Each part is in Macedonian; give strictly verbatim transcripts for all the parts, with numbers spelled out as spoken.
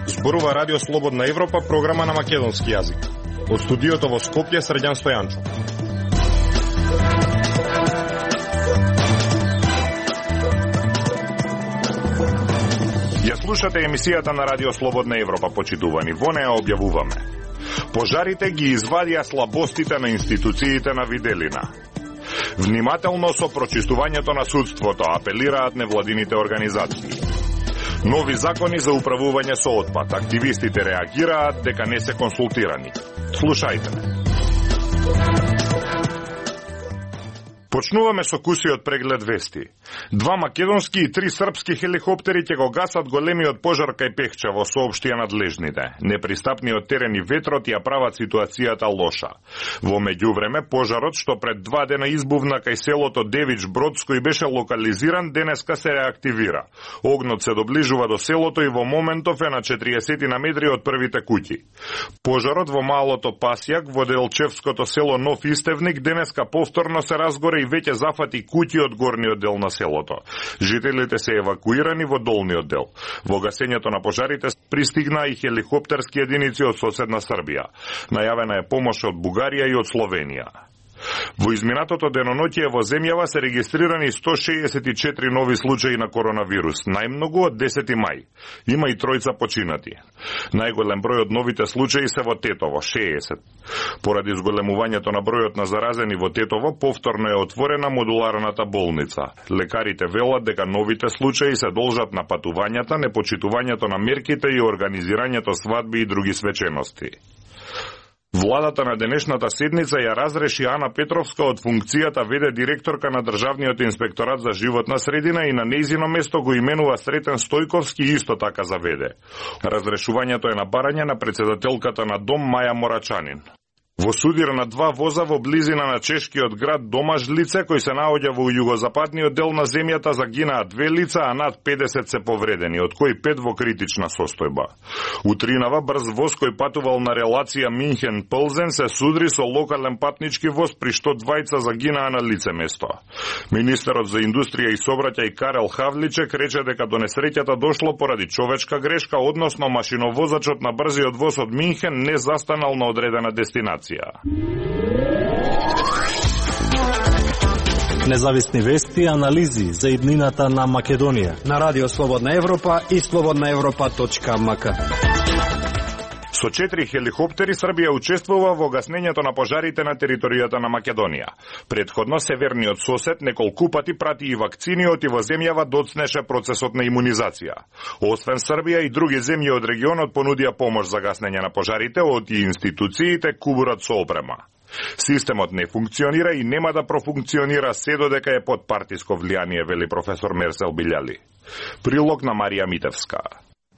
Зборува Радио Слободна Европа, програма на македонски јазик. Од студиото во Скопје, Средјан Стојанчо. Ја слушате емисијата на Радио Слободна Европа, почитувани. Во неја објавуваме: пожарите ги извадија слабостите на институциите на Виделина. Внимателно со прочистувањето на судството, апелираат невладините организации. Нови закони за управување со отпад. Активистите реагираат дека не се консултирани. Слушајте ме. Почнуваме со кусиот преглед вести. Два македонски и три српски хеликоптери ќе го гасат големиот пожар кај Пехчево, соопштија надлежните. Непристапниот терен и ветрот ја прават ситуацијата лоша. Во меѓувреме, пожарот што пред два дена избувна кај селото Девич Бродско и беше локализиран, денеска се реактивира. Огнот се доближува до селото и во моментов е на четириесет на метри од првите куќи. Пожарот во малото Пасјак во Делчевското село Нов Истевник денеска повторно се разгоре и веќе зафати куќи од горниот дел на селото. Жителите се евакуирани во долниот дел. Во гасењето на пожарите пристигнаа и хеликоптерски единици од соседна Србија. Најавена е помош од Бугарија и од Словенија. Во изминатото деноноќие во земјава се регистрирани сто шеесет и четири нови случаи на коронавирус, најмногу од десети мај. Има и тројца починати. Најголем број од новите случаи се во Тетово, шеесет. Поради зголемувањето на бројот на заразени во Тетово, повторно е отворена модуларната болница. Лекарите велат дека новите случаи се должат на патувањата, непочитувањето на мерките и организирањето свадби и други свечености. Владата на денешната седница ја разреши Ана Петровска од функцијата веде директорка на Државниот инспекторат за животна средина и на нејзино место го именува Сретен Стојковски исто така за веде. Разрешувањето е на барање на председателката на Дом Маја Морачанин. Во судир на два воза во близина на чешкиот град Домажлице, кој се наоѓа во југозападниот дел на земјата, загинаа две лица, а над педесет се повредени, од кои пет во критична состојба. Утринава брз воз кој патувал на релација Минхен-Пълзен се судри со локален патнички воз, при што двајца загинаа на лице место. Министерот за индустрија и сообраќај Карел Хавличек рече дека до несреќата дошло поради човечка грешка, односно машиновозачот на брзиот воз од Минхен не застанал на одредена дестинација. Независни вести и анализи за иднината на Македонија на Радио Слободна Европа и слободна европа точка ем ка. Со четири хеликоптери Србија учествува во гаснењето на пожарите на територијата на Македонија. Предходно северниот сосед неколку пати прати и вакцини, и во земјава доцнеше процесот на имунизација. Освен Србија и други земји од регионот понудија помош за гаснење на пожарите, од и институциите кубурат со опрема. Системот не функционира и нема да профункционира се додека е под партиско влијание, вели професор Мерсел Билјали. Прилог на Марија Митевска.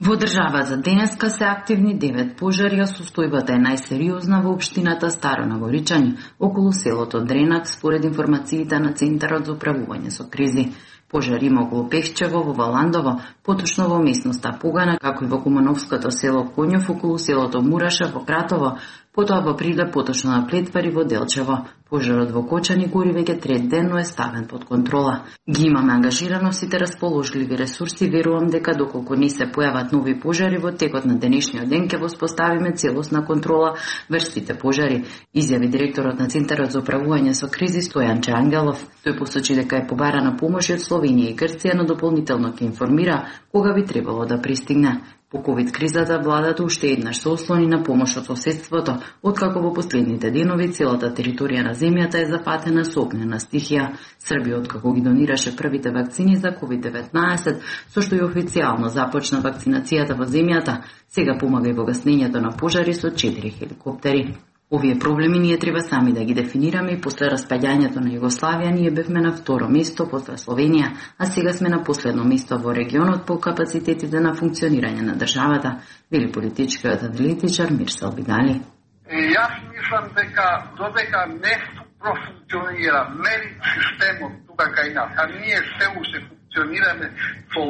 Во државата денеска се активни девет пожари, а состојбата е најсериозна во општината Старо Нагоричани, околу селото Дренак, според информациите на Центарот за управување со кризи. Пожари има околу Пехчево, во Валандово, поточно во местноста Погана, како и во Кумановското село Коњов, околу селото Мураша во Кратово, потоа во Прилеп, поточно на Плетвари во Делчево. Пожарот во Кочани гори веќе трет ден, но е ставен под контрола. Ги имаме ангажирано сите расположливи ресурси, верувам дека доколку не се појават нови пожари во текот на денешниот ден ќе воспоставиме целосна контрола врз сите пожари, изјави директорот на Центарот за управување со кризи Стојанче Ангелов. Тој посочи дека е побарана помош од Словенија и Грција, но дополнително ќе информира кога би требало да пристигне. По ковид кризата владата уште еднаш се ослони на помош од соседството, откако во последните денови целата територија на земјата е зафатена со огнена стихија. Србија откако ги донираше првите вакцини за ковид деветнаесет, со што и официјално започна вакцинацијата во земјата, сега помага и во гаснењето на пожари со четири хеликоптери. Овие проблеми ние треба сами да ги дефинираме и после распаѓањето на Југославија ние бевме на второ место после Словенија, а сега сме на последно место во регионот по капацитетите на функционирање на државата, вели политичкиот аналитичар Мирсел Бидали. Јас мислам дека додека не профункционира мери системот тука кај нас, а ние се уште функционираме со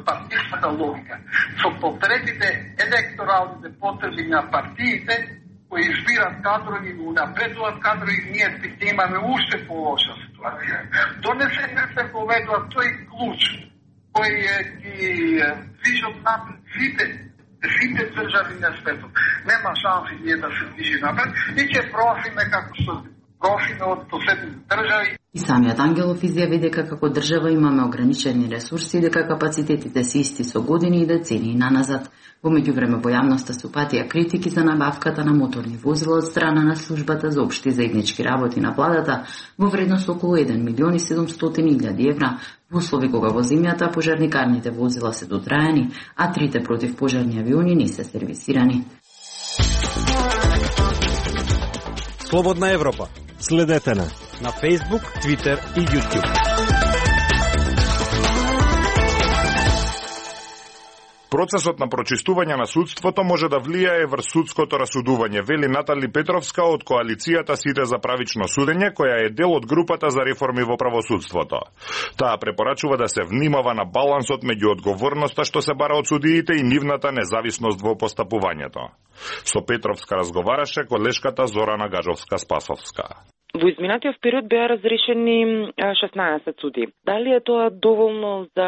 партиската логика, со потребите, електоралните потреби на партиите, кои избират кадрови, унапредуваат кадрови, ние ќе имаме уште полоша ситуација. Донесете се поведува тој клуч кој е ги движат напред сите, сите држави на светот. Нема шанси ние да се движи напред и ќе профиме како што профиме од соседните држави. И самиот Ангелов изјави дека како држава имаме ограничени ресурси и дека капацитетите се исти со години и децении наназад. Во меѓувреме во јавноста се упатија критики за набавката на моторни возила од страна на службата за општи заеднички работи на владата во вредност околу еден милион и седумстотини илјади евра, во услови кога во земјата пожарникарните возила се дотрајани, а трите противпожарни авиони не се сервисирани. Слободна Европа. Следете на на Facebook, Twitter и YouTube. Процесот на прочистување на судството може да влијае врз судското расудување, вели Натали Петровска од коалицијата Сите за правично судење, која е дел од групата за реформи во правосудството. Таа препорачува да се внимава на балансот меѓу одговорноста што се бара од судиите и нивната независност во постапувањето. Со Петровска разговараше колешката Зорана Гажовска-Спасовска. Во изминатиот период беа разрешени шеснаесет суди. Дали е тоа доволно за,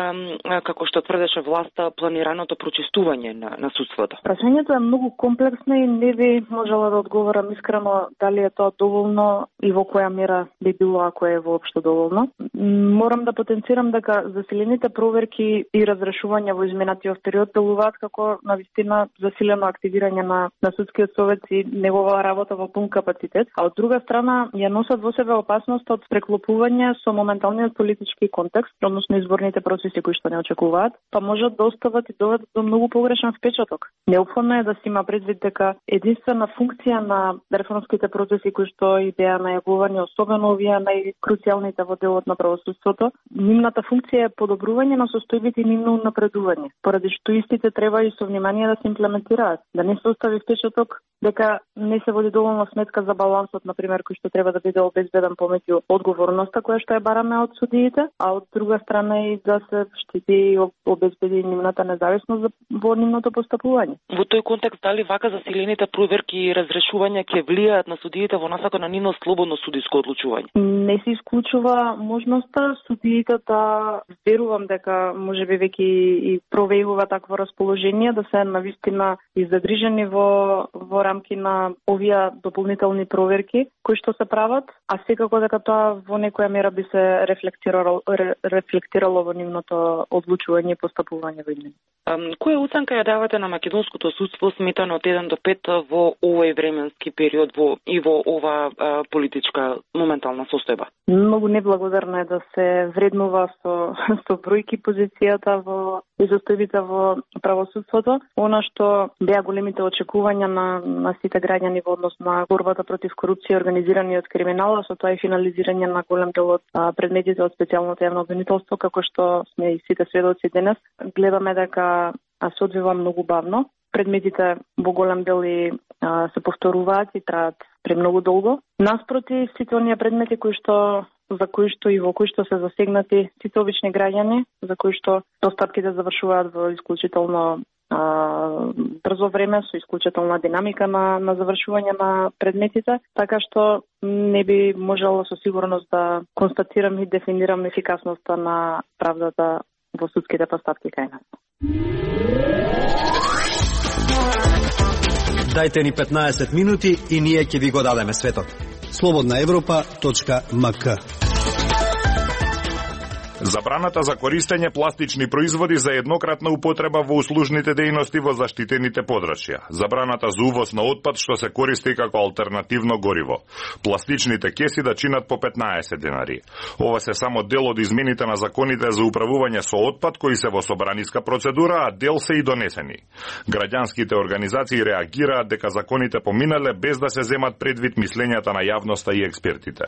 како што тврдеше власта, планираното прочистување на, на судството? Прашањето е многу комплексно и не би можела да одговорам искрено дали е тоа доволно и во која мера би било ако е воопшто доволно. Морам да потенцирам дека засилените проверки и разрешувања во изминатиот период делуваат како навистина засилено активирање на, на судскиот совет и негова работа во пун капацитет, а од друга страна ја носат во себе опасност од преклопување со моменталниот политички контекст, односно изборните процеси кои што не очекуваат, па можат да остават и доведат до многу погрешен впечаток. Неопходно е да се има предвид дека единствена функција на реформските процеси кои што и беа најавувани, особено овие најкруцијалните во делот на правосудството, нивната функција е подобрување на состојбите и нивно напредување, поради што истите треба и со внимание да се имплементираат, да не се остави впечаток дека не се води доволно сметка за балансот, на пример, кој што треба да биде обезбеден помеѓу одговорноста која што ја бараме од судиите, а од друга страна и да се штити и обезбеди нивната независност во нивното постапување. Во тој контекст, дали вака засилените проверки и разрешувања ќе влијаат на судиите во насока на нивно слободно судиско одлучување? Не се исклучува можноста судиите да верувам дека можеби веќе и провејува такво расположение да се навистина иззадржени во во рамки на овие дополнителни проверки кои што се прават, а секако дека тоа во некоја мера би се рефлектирало, рефлектирало во нивното одлучување и постапување во нив. Која оценка ја давате на македонското судство сметано од еден до пет во овој временски период во, и во ова а, политичка моментална состојба? Многу неблагодарно е да се вреднува со, со бројки позицијата во и состојбите во правосудството. Она што беа големите очекувања на, на сите граѓани во однос на борбата против корупција и организираниот криминал, со тоа и финализирање на голем дел од предметите од специјалното јавно обвинителство, како што сме и сите сведоци денес, гледаме дека се одвива многу бавно. Предметите во голем дел и а, се повторуваат и траат премногу долго. Наспроти сите оние предмети кои што за кои што и во кои што се засегнати сите обични граѓани, за кои што постапките завршуваат во исклучително а, брзо време, со исклучителна динамика на, на завршување на предметите, така што не би можело со сигурност да констатирам и дефинирам ефикасноста на правдата во судските постапки кај нас. Дајте ни петнаесет минути и ние ќе ви го дадеме светот. слободна европа точка ем ка. Забраната за користење пластични производи за еднократна употреба во услужните дејности во заштитените подрачја. Забраната за увоз на отпад што се користи како алтернативно гориво. Пластичните кеси да чинат по петнаесет денари. Ова се само дел од измените на законите за управување со отпад кои се во собраниска процедура, а дел се и донесени. Граѓанските организации реагираат дека законите поминале без да се земат предвид мислењата на јавноста и експертите.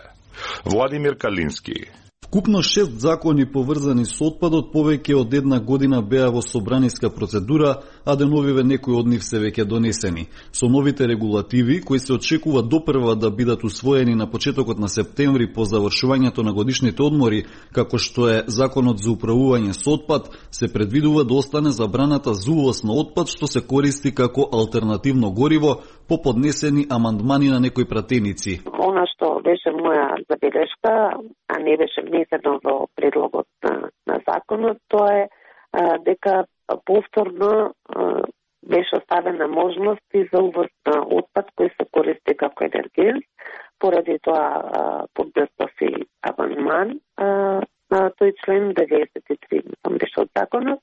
Владимир Калински. Вкупно шест закони поврзани со отпадот повеќе од една година беа во собраниска процедура, а деновиве некои од нив се веќе донесени. Со новите регулативи, кои се очекува допрва да бидат усвоени на почетокот на септември по завршувањето на годишните одмори, како што е Законот за управување со отпад, се предвидува да остане забраната за увоз на отпад што се користи како алтернативно гориво по поднесени амандмани на некои пратеници. Она што беше моја забелешка, а не беше внесено во предлогот на, на законот, тоа е а, дека повторно а, беше оставена можност и за увоз на отпад кој се користи како енергент. Поради тоа поднесов и амандман на тој член деветдесет и три беше од законот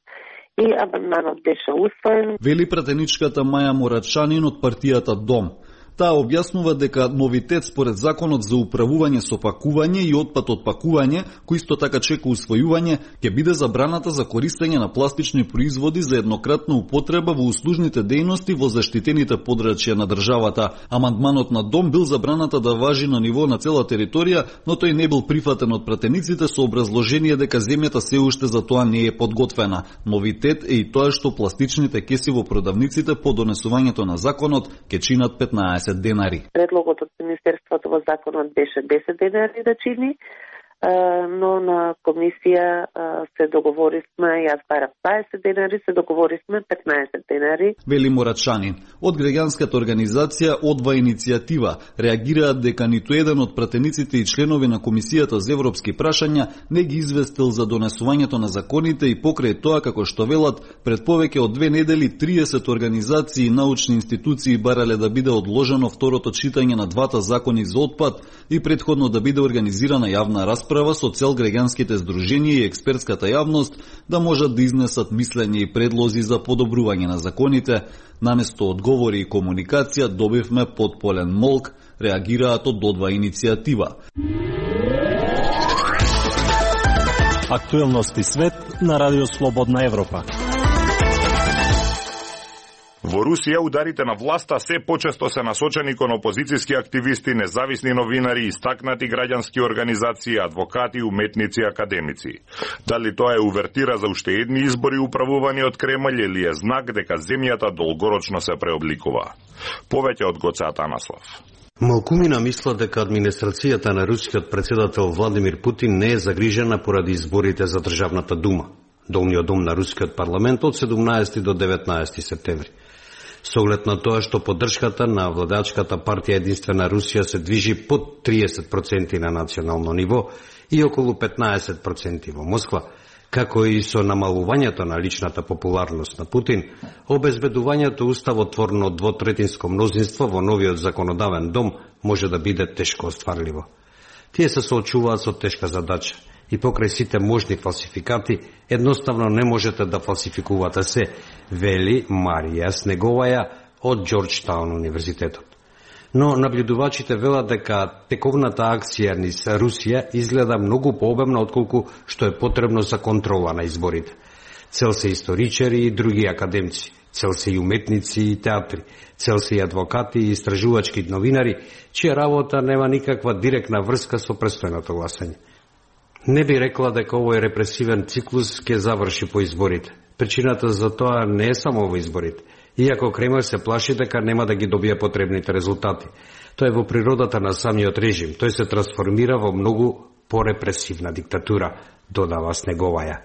и амандманот беше усвоен. Вели пратеничката Маја Морачанин од партијата Дом. Таа објаснува дека новитет според Законот за управување со пакување и отпад од пакување, кој исто така чека усвојување, ќе биде забраната за користење на пластични производи за еднократна употреба во услужните дејности во заштитените подрачја на државата. Амандманот на Дом бил забраната да важи на ниво на цела територија, но тој не бил прифатен од пратениците со образложение дека земјата се уште за тоа не е подготвена. Новитет е и тоа што пластичните кеси во продавниците по донесувањето на законот ќе чинат петнаесет денари. Предлогот од Министерството во законот беше десет денари да чини, но на комисија се договоривме, јас барам дваесет денари, се договоривме петнаесет денари. Вели Морачанин. Од граѓанската организација Одва иницијатива реагираат дека ниту еден од пратениците и членови на Комисијата за европски прашања не ги известил за донесувањето на законите и покрај тоа, како што велат, пред повеќе од две недели триесет организации и научни институции барале да биде одложено второто читање на двата закони за отпад и претходно да биде организирана јавна расправа со цел граѓанските здруженија и експертската јавност да можат да изнесат мислење и предлози за подобрување на законите. Наместо одговори и комуникација добивме потполен молк, реагираат од Одва иницијатива. Актуелности свет на Радио Слободна Европа. Во Русија ударите на власта се почесто се насочени кон опозицијски активисти, независни новинари, истакнати граѓански организации, адвокати, уметници и академици. Дали тоа е увертира за уште едни избори управувани од Кремљ или е знак дека земјата долгорочно се преобликува? Повеќе од Гоце Атанаслав. Малкумина мисла дека администрацијата на рускиот председател Владимир Путин не е загрижена поради изборите за Државната дума, долниот дом на рускиот парламент од седумнаесети до деветнаесети септември. Со оглед на тоа што поддршката на владачката партија Единствена Русија се движи под триесет проценти на национално ниво и околу петнаесет проценти во Москва, како и со намалувањето на личната популарност на Путин, обезбедувањето уставотворно двотретинско мнозинство во новиот законодавен дом може да биде тешко остварливо. Тие се соочуваат со тешка задача и покрај сите можни фалсификати, едноставно не можете да фалсификувате се, вели Марија Снеговаја од Џорџтаун универзитетот. Но наблюдувачите велат дека тековната акција низ Русија изгледа многу пообемна отколку што е потребно за контрола на изборите. Цел се историчари и други академци, цел се и уметници и театри, цел се и адвокати и истражувачки новинари, чија работа нема никаква директна врска со престојното гласање. Не би рекла дека овој репресивен циклус ќе заврши по изборите. Причината за тоа не е само во изборите. Иако Кремљ се плаши дека нема да ги добие потребните резултати. Тоа е во природата на самиот режим. Тој се трансформира во многу порепресивна диктатура, додава Снеговаја.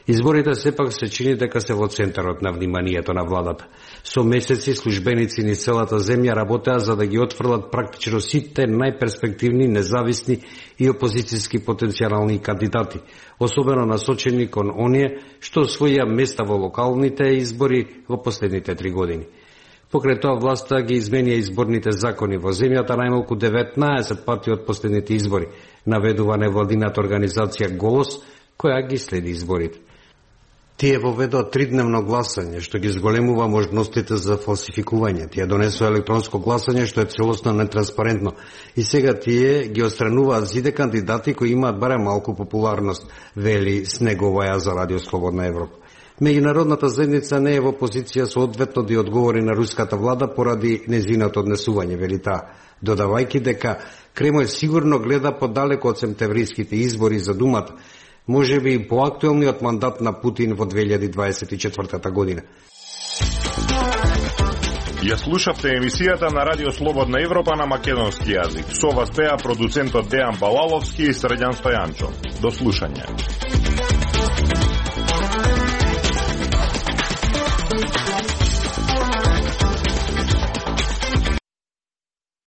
Изборите сепак се чини дека се во центарот на вниманието на владата. Со месеци службеници низ целата земја работеа за да ги отфрлат практично сите најперспективни, независни и опозицијски потенцијални кандидати, особено насочени кон оние што освоија места во локалните избори во последните три години. Покрај тоа власта ги изменија изборните закони во земјата најмалку деветнаесет пати од последните избори, наведува невладината организација Голос, која ги следи изборите. Тие воведоа тридневно гласање, што ги зголемува можностите за фалсификување. Тие донесоа електронско гласање, што е целосно нетранспарентно. И сега тие ги отстрануваат сите кандидати кои имаат барем малку популарност, вели Снеговаја за Радио Слободна Европа. Меѓународната заедница не е во позиција соодветно да одговори на руската влада поради нејзиното однесување, вели таа, додавајќи дека Кремљ сигурно гледа подалеку од септемвриските избори за Думата, можеби и поактуелниот мандат на Путин во две илјади дваесет и четвртата година. Ја слушавте емисијата на Радио Слободна Европа на македонски јазик. Со вас беа продуцентот Дејан Балаловски и Срđan Стојанчо. До слушање.